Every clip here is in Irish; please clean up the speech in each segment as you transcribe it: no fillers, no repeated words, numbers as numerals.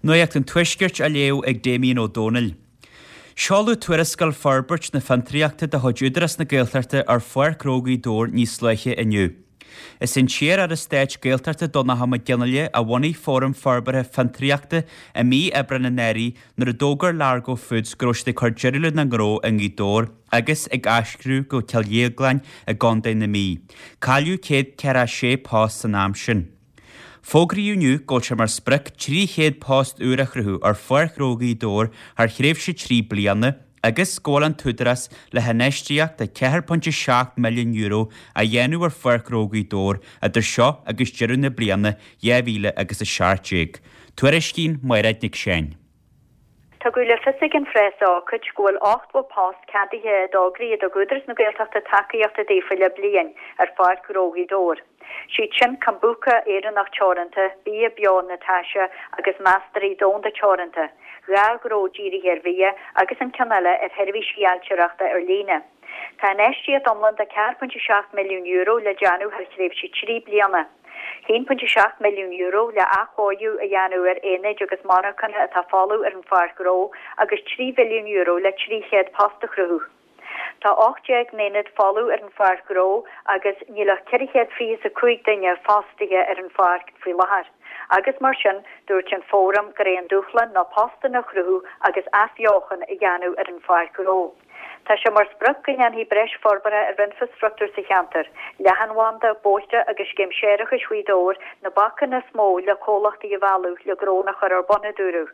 Nuacht an Tuaiscirt á léamh ag Damien Ó Dónaill. Seoladh tuarascáil Forbairt na Fiontraíochta de chuid Údarás na Gaeltachta ar Pháirc Ghnó Ghaoth Dobhair níos luaithe inniu. Is é an t-iar-aire stáit Gaeltachta Donnchadh Mac Fhionnghaile a bhunaigh Fóram Forbartha Fiontraíochta i mí Aibreáin anuraidh nuair a d'fhógair Largo Foods go raibh siad ag cur deireadh lena ngnó i nGaoth Dobhair agus ag aistriú go Cill Dhéagláin i gContae na Mí. Cailleadh 146 post san am sin. Fógraíodh inniu go bhfuil sé mar sprioc 300 post úr a chruthú ar Pháirc Ghnó Ghaoth Dobhair thar thréimhse 3 bliana agus go bhfuil an tÚdarás le hinfheistíocht de €4.7 milliún a dhéanamh ar Pháirc Ghnó Ghaoth Dobhair idir seo agus deireadh na bliana 2017. Tuairiscíonn Mairéad Nic Seáin. Tugadh le fios ag an phreas-ócáid go bhfuil 80 post ceadaithe i dtograí a dtug Údarás na Gaeltachta tacaíocht daofa le bliain ar Pháirc Ghnó Ghaoth Dobhair. Siad sin Kombucha Éireannach Teoranta, Bia Beo Natasha agus Mastairí Domhanda Teoranta, 2 ghnó dírithe ar bhia agus an ceann eile ar sheirbhísí ailtireachta ar líne. Tá infheistíocht iomlán de €4.7 milliún le déanamh thar thréimhse 3 bliana. €1.7 milliún le athchóiriú a dhéanamh ar aonaid agus monarchana atá folamh ar an pháirc ghnó agus €3 mhilliún le 300 post a chruthú. Tá 18 n-aonad folamh ar an pháirc ghnó agus níl ach 425 duine fostaithe ar an pháirc faoi láthair agus mar sin dúirt an Fóram gur é an dúshlán ná postanna a chruthú agus athbheochan a dhéanamh ar an pháirc ghnó. Tá sé mar sprioc go ndéanfaí breis forbartha ar infreastruchtúr sa cheantar, leathanbhanda, bóithre agus scéim séarachais Ghaoth Dobhair na bacanna is mó le comhlachtaí a mhealladh le gnónna a chur ar bun, a dúradh.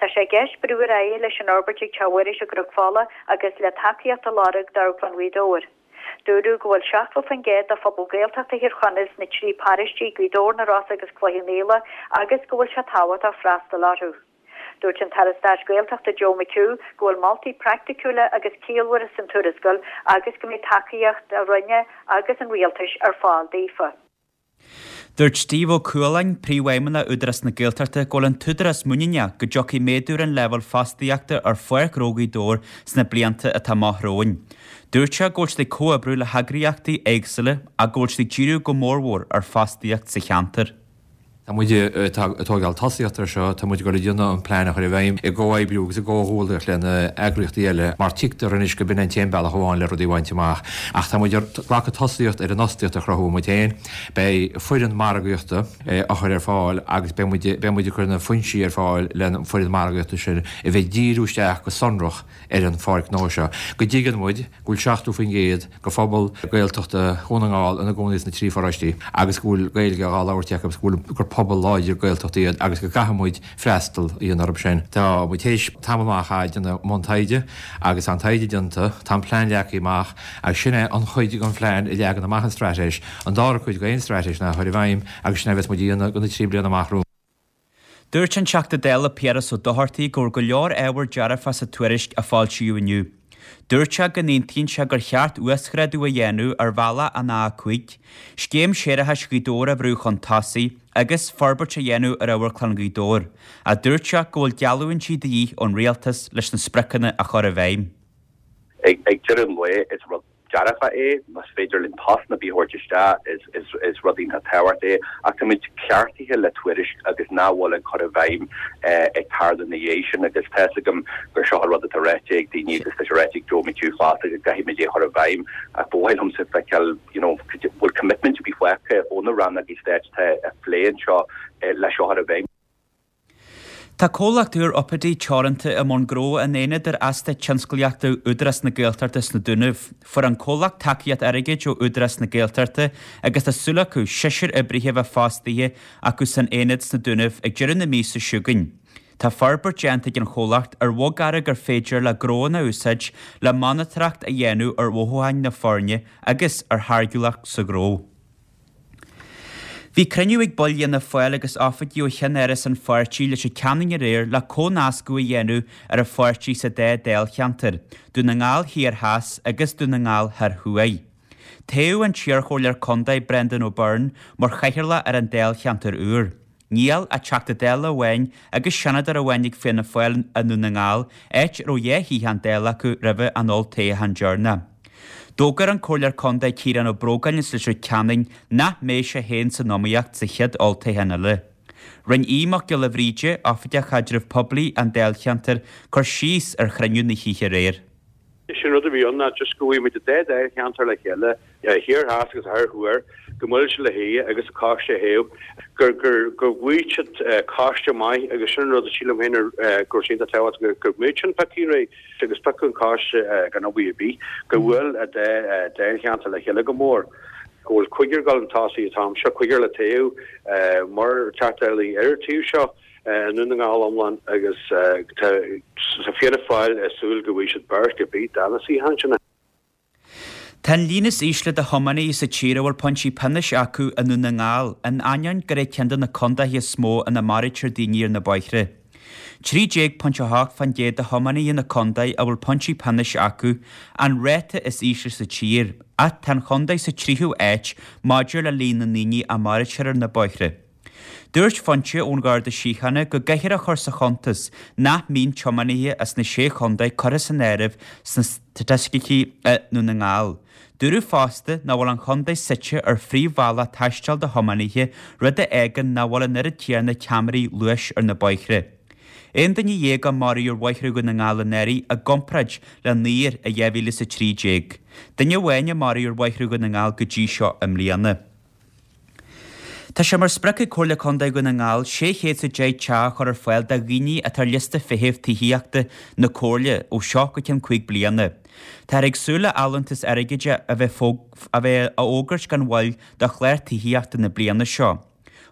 Tá sé i gceist brú ar aghaidh leis an fhorbairt ag Teach Mhuiris i gCnoc Fola agus le tacaíocht a lorg d'Amharclann Ghaoth Dobhair. Dúradh go bhfuil 70% de phobal Gaeltachta Thír Chonaill sna 3 paróistí, Gaoth Dobhair, Na Rosa agus Cloich Cheann Fhaola, agus go bhfuil sé tábhachtach freastal orthu. Dúirt an tAire Stáit Gaeltachta Joe McHugh go bhfuil moltaí praiticiúla agus ciallmhara san tuarascáil agus go mbeidh tacaíocht a Roinne agus an Rialtais ar fáil daofa. Dúirt Steve Ó Cualáin, Príomhfheidhmeannach Údarás na Gaeltachta, go bhfuil an tÚdarás muiníneach go dtiocfaidh méadú ar an leibhéal fostaíochta ar Pháirc Ghnó Ghaoth Dobhair sna blianta atá amach romhainn. Dúirt sé go bhfuil siad ag comhoibriú le heagraíochtaí éagsúla ach go bhfuil siad ag díriú go mórmhór ar fostaíocht sa cheantar. Tá muid ag tógáil tosaíocht ar seo, tá muid ag dul ag déanamh an plean a chur i bhfeidhm i gcomhoibriú agus i gcomhghuaillíocht le na eagraíochtaí eile mar tuigtear anois go b'in an t-aon bealach amháin le rudaí a bhaint amach. Ach tá muid ag glacadh tosaíocht ar an fhostaíocht a chruthú muid féin. Beidh foireann margaíochta á chur ar fáil agus beidh muid beidh muid ag cur na foinsí ar fáil le an foireann margaíochta sin a bheith ag díriú isteach go sonrach ar an pháirc ghnó seo. Go dtuigeann muid go bhfuil 70% de phobal Gaeltachta Dhún na nGall ina gcónaí sna trí pharóistí agus go bhfuil Gaeilge dhá labhairt acu agus go bhfuil gur pobal láidir Gaeltachta iad agus go gcaithfidh muid freastal a dhéanamh orthu sin. Tá muid théis tamall maith a chaitheamh ag déanamh mbun taighde agus tá an taighde déanta, tá an plean leagtha amach agus sin é an chuid den phlean a leagan amach an straitéis. An dara cuid d'aon straitéis ná a chur i bhfeidhm agus sin é a bheas muid a dhéanamh do na trí bliana amach romhainn. Dúirt an Teachta Dála Piaras Ó Dochartaigh go bhfuil go leor ábhar dearfach sa tuairisc a foilsíodh inniu. Dúirt sé go n-aontaíonn sé gur cheart uasghrádú a dhéanamh ar bhealach an A5, scéim séarachais Ghaoth Dobhair a bhrú chun tosaigh agus forbairt a dhéanamh ar Amharclann Ghaoth Dobhair, ach dúirt sé go bhfuil geallúintí de dhíth ón Rialtas leis na spriocanna a chur i bhfeidhm. Ag deireadh an lae, is rud dearfach é, más féidir linn postanna ar bith a thabhairt isteach, is rud iontach tábhachtach é, ach táimid ceartaithe le tuairisc agus nach bhfuil an cur i bhfeidhm ag tarlú ina dhiaidh sin agus tá fhios agam gur seo an rud atá ráite ag daoine agus tá sé ráite ag Joe McHugh fosta go gcaithfimid é a chur i bhfeidhm ach ba mhaith liomsa feiceáil you know bhfuil commitment ar bith fágtha ó na rannógaí stáit atá ag plé anseo le seo a chur i bhfeidhm. Tá comhlacht úr Upadi Teoranta i mbun gnó in aonad ar eastát tionsclaíochta Údarás na Gaeltachta sna Dúnaibh. Fuair an comhlacht tacaíocht airgid ó Údarás na Gaeltachta agus tá súil acu seisear oibrithe a bheith fostaithe acu san aonad sna Dúnaibh ag deireadh na míosa seo chugainn. Tá forbairt déanta ag an chomhlacht ar bhogearra gur féidir le gnóanna a úsáid le monatóireacht a dhéanamh ar mhothúcháin na foirne agus ar tháirgiúlacht sa ghnó. Bhí cruinniú ag baill Fhianna Fáil agus oifigigh ó cheann-áras an pháirtí i Leitir Ceanainn aréir le comhnascadh a dhéanamh ar an pháirtí sa dá dáilcheantar, Dún na nGall Thiar Theas agus Dún na nGall Thoir Thuaidh. Toghadh an t-iarchomhairleoir contae Brendan O'Byrne mar chathaoirleach ar an dáilcheantar úr. Níl ach Teachta Dála amháin agus Seanadóir amháin ag Fianna Fáil i nDún na nGall, áit a raibh 2 shuíochán Dála acu roimhe an olltoghchán deireanach. D'fhógair an Comhairleoir Contae Ciarán Ó Brógáin as Leitir Ceanainn nach mbeidh sé féin san iomaíocht sa chéad olltoghchán eile. Rinne Aodh Mac Giolla Bhríde, Oifigeach Chaidreamh Poiblí an Dáilcheantair, cur síos ar chruinniú na hoíche aréir. Is é an rud a bhí ann ná just go bhfuigh muid an dá dáilcheantar le chéile, thiar theas agus thoir thuaidh, go mbuail siad le chéile agus an coiste a thoghadh, gur gur go bhfuigh siad coiste maith agus sin an rud a sílim féin go raibh sé iontach tábhachtach go mbeadh sin pioctha réidh agus piocadh an coiste gan obair ar bith, go bhfuil an dá dáilcheantar le chéile go mór. Go bhfuil cúigear ag dul chun tosaigh an t-am seo, cúigear le toghadh mar Teachta Dála ar an taobh seo. i nDún na nGall iomlán agus tá Fianna Fáil ag súil go bhfaighidh siad beirt ar bith de na suíocháin sin. Tá an líon is ísle de thiománaithe sa tír a bhfuil pointí pionóis acu i nDún na nGall, in ainneoin gur é ceann de na contaetha is mó ina maraítear daoine ar na bóithre. 13.8% de thiománaithe na contae a bhfuil pointí pionóis acu, an ráta is ísle sa tír, ach tá an chontae sa tríú háit maidir le líon na ndaoine a maraítear ar na bóithre. Dúirt foinse ón Gharda Síochána go gcaithfear a chur sa chuntas nach mbíonn tiománaithe as na Sé Chontae curtha san áireamh sna staitisticí i nDún na nGall. Dúradh fosta nach bhfuil an chontae suite ar phríomhbhealach taistil do thiománaithe, rud a fhágann nach bhfuil an oiread céanna ceamaraí luais ar na bóithre. Aon duine dhéag a maraíodh ar bhóithre Dhún na nGall anuraidh i gcomparáid le naonúr i 2013. Duine amháin a maraíodh ar bhóithre Dhún na nGall go dtí seo i mbliana. Tá sé mar sprioc ag Comhairle Contae Dhún na nGall 610 teach a chur ar fáil do dhaoine atá ar liosta feithimh tithíochta na Comhairle ó seo go ceann 5 bliana. Táthar ag súil le allúntas airgid a bheith a bheith á fhógairt gan mhoill do chlár tithíochta na bliana seo.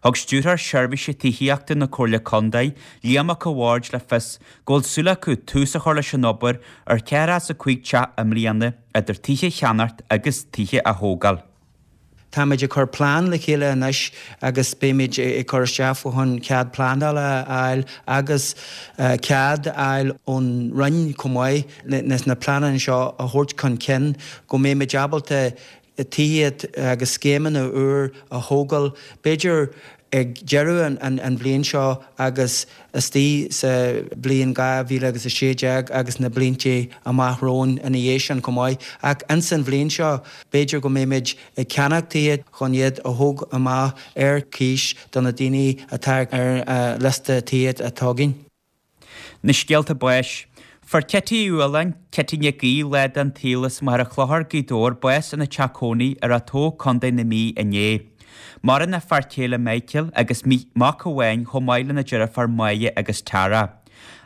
Thug Stiúrthóir Seirbhíse Tithíochta na Comhairle Contae, Liam Mac a' Bhaird le fios go bhfuil súil acu tús a chur leis an obair ar 45 teach i mbliana idir tithe a cheannacht agus tithe a thógáil. Táimid ag cur plean le chéile anois agus beimid ag cur isteach fá choinne cead pleanála a fháil agus cead a fháil ón Roinn chomh maith leis na pleananna seo a thabhairt chun cinn go mbeimid ábalta tithe agus scéimeanna úr a thógáil b'fhéidir ag deireadh an bhliain seo agus istigh sa bhliain 2016 agus na blianta amach romhainn ina dhiaidh sin chomh maith. Ach ins an bhliain seo, b'fhéidir go mbeimid ag ceannach tithe chun iad a thóg amach ar cíos do na daoine atá ar an liosta tithe atá againn. Na scéalta báis. Fuair Cití Uí Fhaoláin, Cití Nic Aoidh, lá den tsaol as Machaire Chlochair, Gaoth Dobhair, bás ina teach cónaí i Ráth Tó, Co. na Mí inné. Maireann a fear céile Michael agus mac amháin chomh maith lena deirfiúr Máire agus Tara.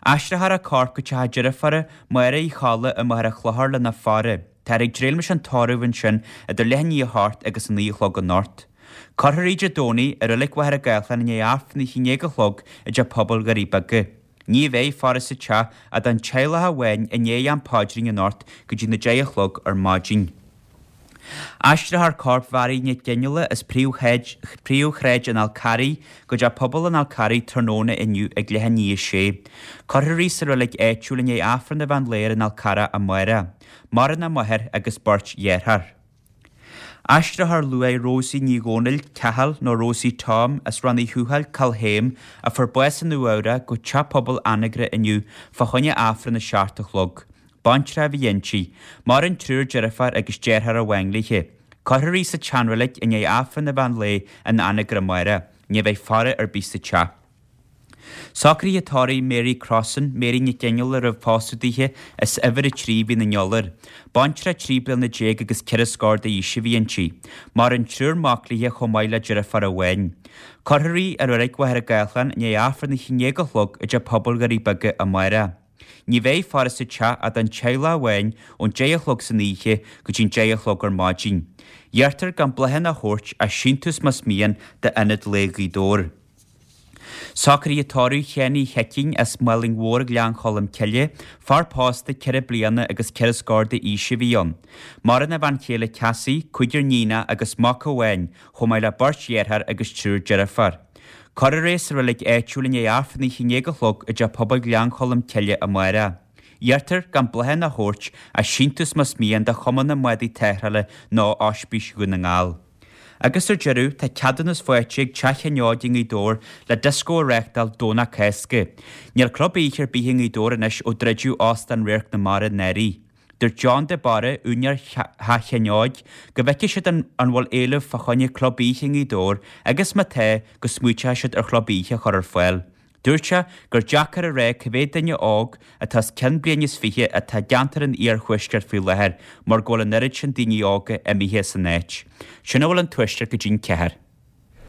Aistreofar a corp go teach a deirfiúra Máire Uí Cholla i Machaire Chlochair lena faire. Táthar ag dréim leis an tórramh ansin idir leath i ndiaidh a hocht agus a naoi a chlog anocht. Cuirfear í Dé Domhnaigh i Reilig Mhachaire Gathlán i ndiaidh Aifreann a 11 a chlog i dTeach Pobail Dhoirí Beaga. Ní bheidh faire sa teach ach don teaghlach amháin i ndiaidh am paidrín anocht go dtí na 10 a chlog ar maidin. Aistreofar corp Mhary Nic Fhionnghaile as Príomhshráid an Fhál Carraigh go Teach Pobail an Fhál Carraigh tráthnóna inniu ag leath i ndiaidh a sé. Cuirfear í sa reilig áitiúil i ndiaidh Aifreann an mheán lae ar an Fhál Carrach amárach. Maireann a máthair agus beirt dhearthár. Aistreofar luaith Rosie Ní Dhomhnaill, Cathal, nó Rosie Tom, as Rann Uí Thuathail, Cill Chéim, a fuair bás i Nua Eabhrac, go Teach Pobail Anagaire inniu fá choinne Aifreann a 7 a chlog. Baintreach a bhí inti. Maireann triúr deirfiúr agus deartháir amháin léi. Cuirfear í sa tseanreilig i ndiaidh Aifreann an mheán lae in Anagaire amárach. Ní bheidh faire ar bith sa teach. Socruithe tórraimh Mary Crossan, Mary Nic Fhionnghaile roimh phósadh dithe, as Uimhir 3 Mhín an Iolair. Baintreach 13 bliana agus ceithre scór d'aois a bhí inti. Maireann triúr mac léi chomh maith le deirfiúr amháin. Cuirfear í i Reilig Mhachaire Gathlán i ndiaidh Aifreann a 11 a chlog i dTeach Pobail Dhoirí Beaga amárach. Ní bheidh faire sa teach ach don teaghlach amháin ón 10 a chlog san oíche go dtí'n 10 a chlog ar maidin. Iarrtar gan bláthanna a thabhairt ach síntiús más mian d'Ionad Lae Ghaoth Dobhair. Socruithe tórraimh Sheáin Uí Sheicín as Málainn Mhór Ghleann Cholm Cille, fear pósta ceithre bliana agus ceithre scór d'aois a bhí ann. Maireann a bhean chéile Cassie, cúigear níonach agus mac amháin, chomh maith le beirt dheartháir agus triúr deirfiúr. Cuirfear é sa reilig áitiúil i ndiaidh Aifreann a 11 a chlog i dTeach Pobail Ghleann Cholm Cille amárach. Iarrtar gan bláthanna a thabhairt ach síntiús más mian do Chumann na mBádaí Tarrthála nó Ospís Dhún na nGall. Agus ar deireadh, tá ceadúnas faighte ag Teach Sheáin Óig i nGaoth Dobhair le dioscó a reáchtáil Domhnach Cásca. Níl club oíche ar bith i nGaoth Dobhair anois ó druideadh Óstán Radharc na Mara anuraidh. Dúirt John de Barra, úinéir Theach Sheáin Óig, go bhfeicfidh siad an an bhfuil éileamh fá choinne club oíche i nGaoth Dobhair agus má tá, go smaoiteoidh siad ar chlub oíche a chur ar fáil. Dúirt sé gur deacair a rá cá mhéad duine óg atá os cionn bliain is 20 atá i gceantar an iarthuaiscirt faoi láthair mar go bhfuil an oiread sin daoine óga imithe as an áit. Sin a bhfuil ón Tuaisceart go dtí'n cheathair.